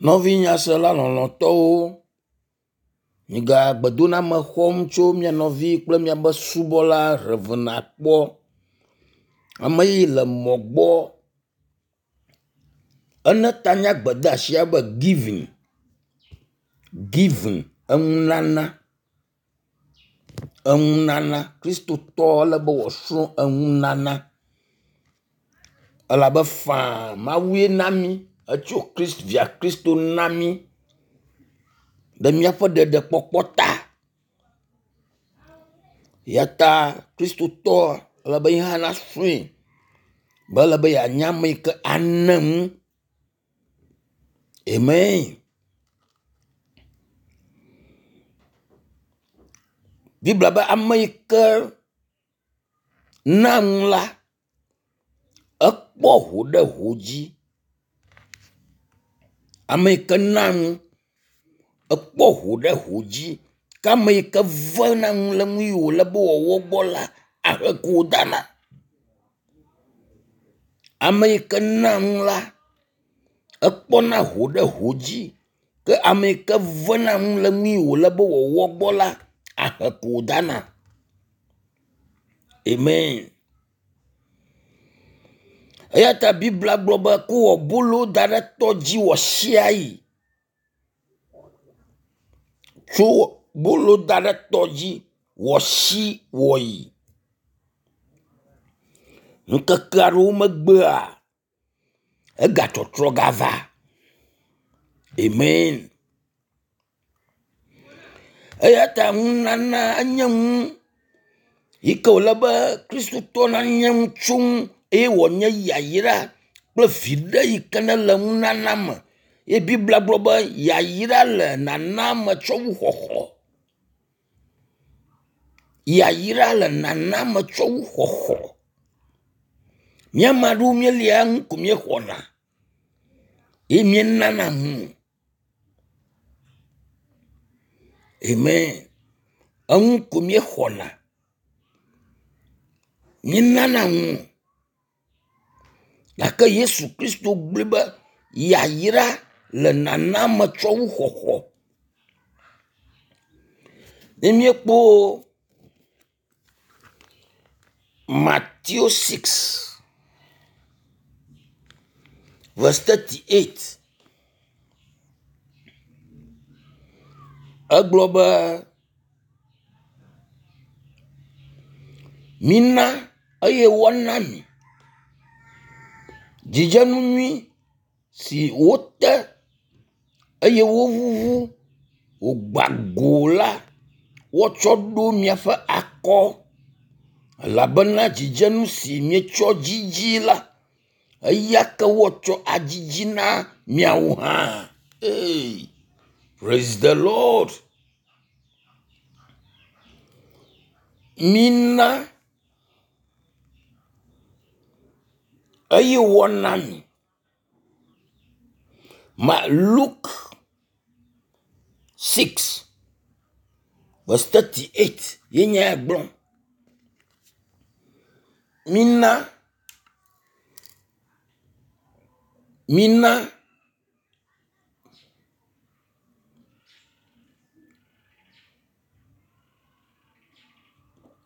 Nɔvi nyasela lɔlɔ̃tɔwo, miga gbedoname xɔm tso mia nɔvi kple miabe subɔla Rev. Akpɔ. Ame yi le mɔ gbɔ. Ene ta na gbedeasia be giving, giving enunana, enunana. Kristotɔ ele be woasrɔ̃ enunana elabe faa Mawue na mí etso via Kristo na mí ɖe míaƒe ɖeɖekpɔkpɔ ta. Eya ta kristotɔ ele be ye hã nasrɔ̃e be ele be yeanye ame yi ke ana nu. Amen. Biblia be ame yi ke na nu la, ekpɔ ho ɖe ho dzi. Ame yi ke na nu ekpɔ ho ɖe ho dzi ke ame yi ke vena nu le nu yi wòle be wòawɔ gbɔ la, ahe ko wòdana. Ame yi ke na nu la, ekpɔna ho ɖe ho dzi ke ame yi ke vena nu le nu yi wòle be wòawɔ gbɔ la, ahe ko wòdana. Amen. Eya ta Biblia gblɔ be ko wɔ bolo da ɖe tɔ dzi wɔ sia yi. Tso bolo da ɖe tɔ dzi wɔ si wɔ yi. Ŋkeke aɖewo megbea egatɔtrɔ gava. Amen. Eya ta nunana enye nu yi ke wòle be Kristotɔ nanya nu tso ŋu eye wòanye yayra kple viɖe yi ke nele nunana me. Ye Biblia gblɔ be yayra le nana me tsɔ wu xɔxɔ. Yayra le nana me tsɔ wu xɔxɔ. Mía ame aɖewo míelia nu ko míexɔna ye míenana nu o. Amen. Enu ko míexɔna. Míenana nu o. Gake Yesu Kristo gblɔe be yayra le nana me tsɔ wu xɔxɔ. Ne míekpɔ Matthew 6 verse 38 egblɔ be mina eye woana mi dzidzenu nyui si wote eye wovuvu wògba go la woatsɔ ɖo miaƒe akɔ elabena dzidzenu si mietsɔ dzidzi la eya ke woatsɔ adzidzi na miawo hã. Hey, praise the Lord. Mina eye woana mi. Ma Luke 6 verse 38 ye nye ya gblɔm. Mina mina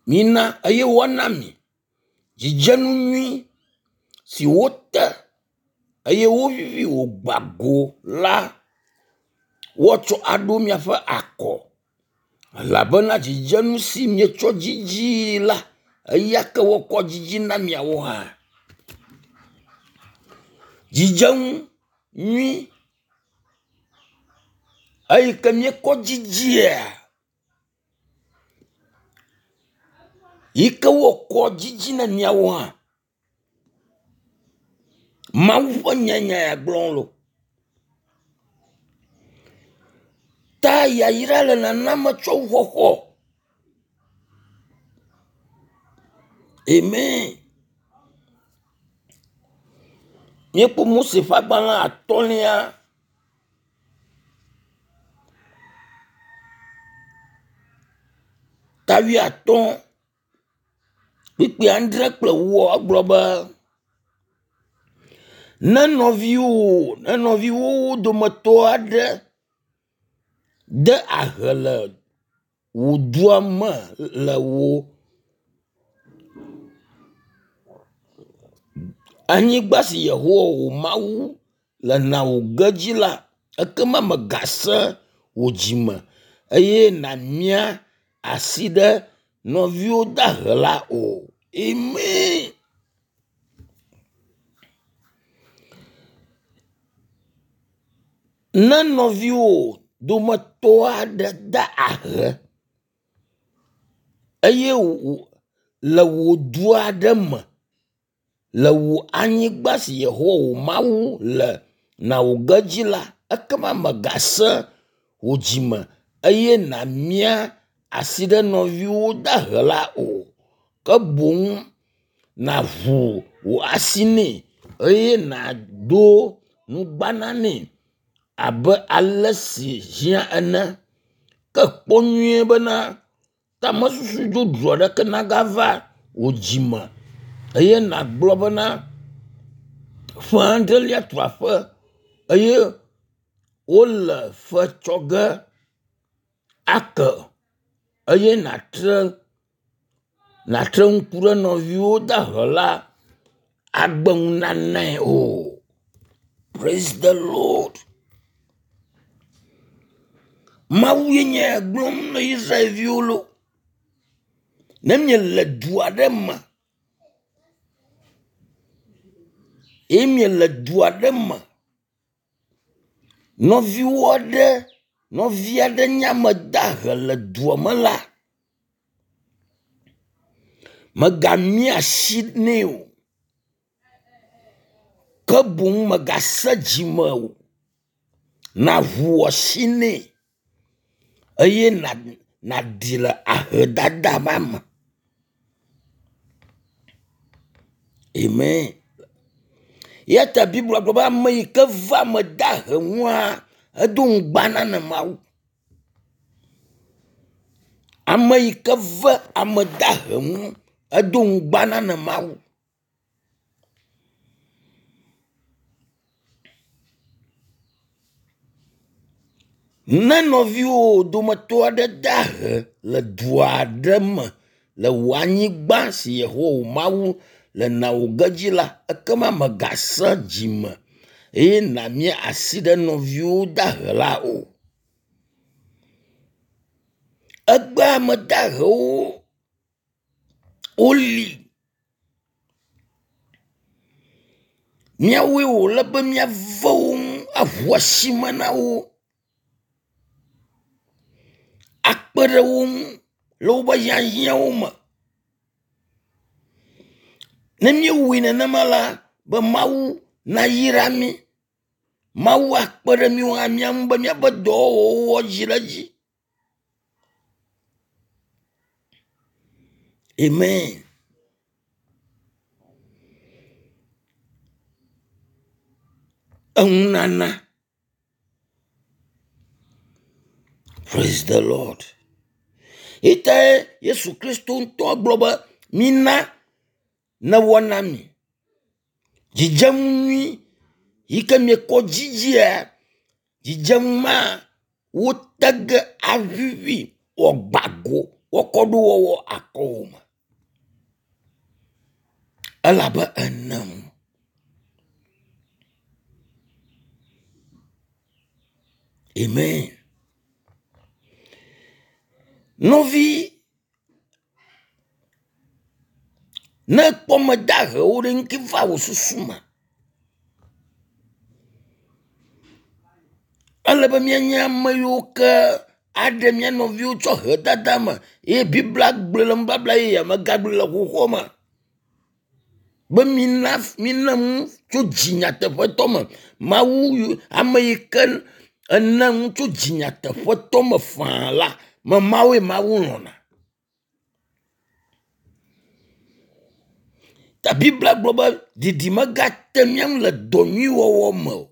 mina eye woana mi dzidzenu nyui si wote eye wovivi wògba go la woatsɔ aɖo miaƒe akɔ elabena dzidzenu si mietsɔ dzidzi la eya ke woakɔ dzidzi na miawo hã. Dzidzenu nyui eyi ke míekɔ dzidzia yi ke woakɔ dzidzi na miawo hã. Mawu ƒe nya nya ya gblɔm wole. Ta yayra le nana me tsɔ wu xɔxɔ. Amen. Míekpɔ Mose ƒe agbalẽ atɔ̃lia ta wuiatɔ̃ kpukpui adre kple ewoa egblɔ be. Ne nɔviwò ne nɔviwòwo dometɔ aɖe de ahe le wò dua me le wò anyigba si Yehowa wò Mawu le na wò ge dzi la, ekema mègasẽ wò dzime eye nàmia asi ɖe nɔviwò dahe la o. Amen. Ne nɔviwò dometɔ aɖe da ahe eye le wò du aɖe me le wò anyigba si Yehowa wò Mawu le na wò ge dzi la, ekema mègasẽ wò dzime eye nàmia asi ɖe nɔviwò dahe la o. Ke boŋ nàʋu wò asi nɛ eye nàdo nugbana nɛ abe ale si hiã ene. Ke kpɔ nyuie bena tamesusu dzodzro aɖeke nagava wò dzime eye nàgblɔ bena ƒe adrelia tu aƒe eye wole fe tsɔ ge ake eye nàtre nàtre ŋku ɖe nɔviwò dahe la agbe nunanae o. Praise the Lord. Mawu ye nye gblɔm na Israelviwo lo. Ne miele du aɖe me eye miele du aɖe me, nɔviwo aɖe nɔvi aɖe nye ame dahe le dua me la, mègamia asi nɛ o. Ke boŋ mègasẽ dzime o. Nàʋu asi nɛ eye nàɖi le ahedada ma me. Amen. Eya ta Biblia gblɔ be ame yi ke va ame dahe ŋua, edo ŋugbana na Mawu. Ame yi ke ve ame dahe ŋu, edo ŋugbana na Mawu. Ne nɔviwò dometɔ aɖe de ahe le du aɖe me le wò anyigba si Yehowa wò Mawu le na wò ge dzi la, ekema mègasẽ dzime eye nàmia asi ɖe nɔviwò dahe la o. Egbea ame dahewo woli. Míawoe wòle be míave wo ŋu aʋu asime na wo, akpe ɖe wo ŋu le woƒe hiahiãwo me. Ne míewɔe nenema la, be Mawu nayra mí. Mawu akpe ɖe míwo hã mía ŋu be míaƒe dɔwɔwɔwo adzi ɖe edzi. Amen. Enunana. Praise the Lord. Itae Yesu Kristo ŋutɔ gblɔ be mina newɔ na mi. Dzidzenu nyui yi ke miekɔ dzidzia, dzidzenu ma wote ge avivi wòagba go woakɔ ɖo wɔwɔ akɔwò me. Elabe enem. Amen. Nɔvi, ne ekpɔ ame dahewo ɖe ŋuti va wò susu me. Ele be míanye ame yiwo ke aɖe mía nɔviwo tso ahedada me eye Biblia gblɔe le nubabla yeyea me gagblɔe le xoxoa me be mina mina nu tso dzi nyateƒetɔ me. Mawu ame yi ke ena nu tso dzi nyateƒetɔ me faa la, me mawoe Mawu lɔ̃na. Ta Biblia gblɔ be didi megate mía ŋu le dɔ nyui wɔwɔ me o.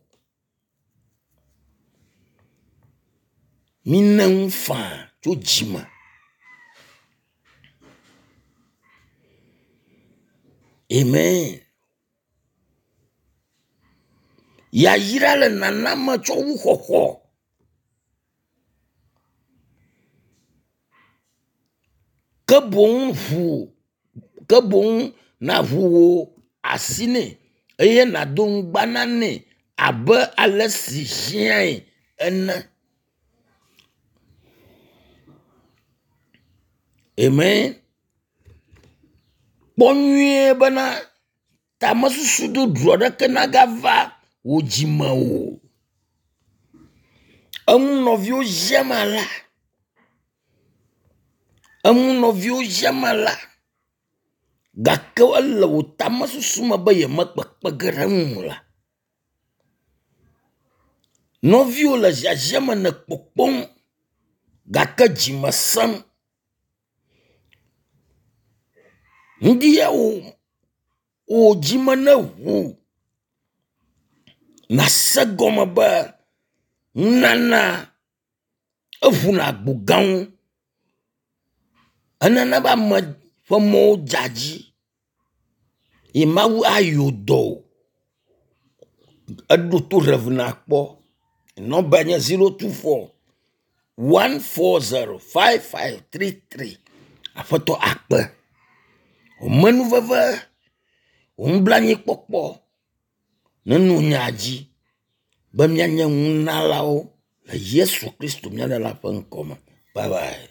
Mine nu faa tso dzi me. Amen. Yayra le nana me tsɔ wu xɔxɔ. Ke boŋ ʋu ke boŋ nàʋu wò asi nɛ eye nàdo nugbana nɛ abe ale si hiãe ene. Amen. Kpɔ nyuie bena tamesusu ɖoɖo aɖeke nagava wò dzime o. Eŋu nɔviwo ziam alea. Eŋu nɔviwo ziam alea gake ele wò tamesusu me be yemekpekpe ge ɖe eŋu o la. Nɔviwò le ziazia me le kpɔkpɔm gake dzime sẽm. Ŋdi ya wò wò dzime neʋu nàse gɔme be nunana eʋuna agbo gãwo. Enana be ame ƒe mɔwo dza dzi ye Mawu ayɔ dɔ wò. Eɖo to Rev. Nakpɔ. Nɔmba nye 024 140 5533. Aƒetɔ akpe. Wò menuveve, wò nublanuikpɔkpɔ neno mía dzi be míanye nunalawo le Yesu Kristo mía Ɖela ƒe ŋkɔ me. Bye bye.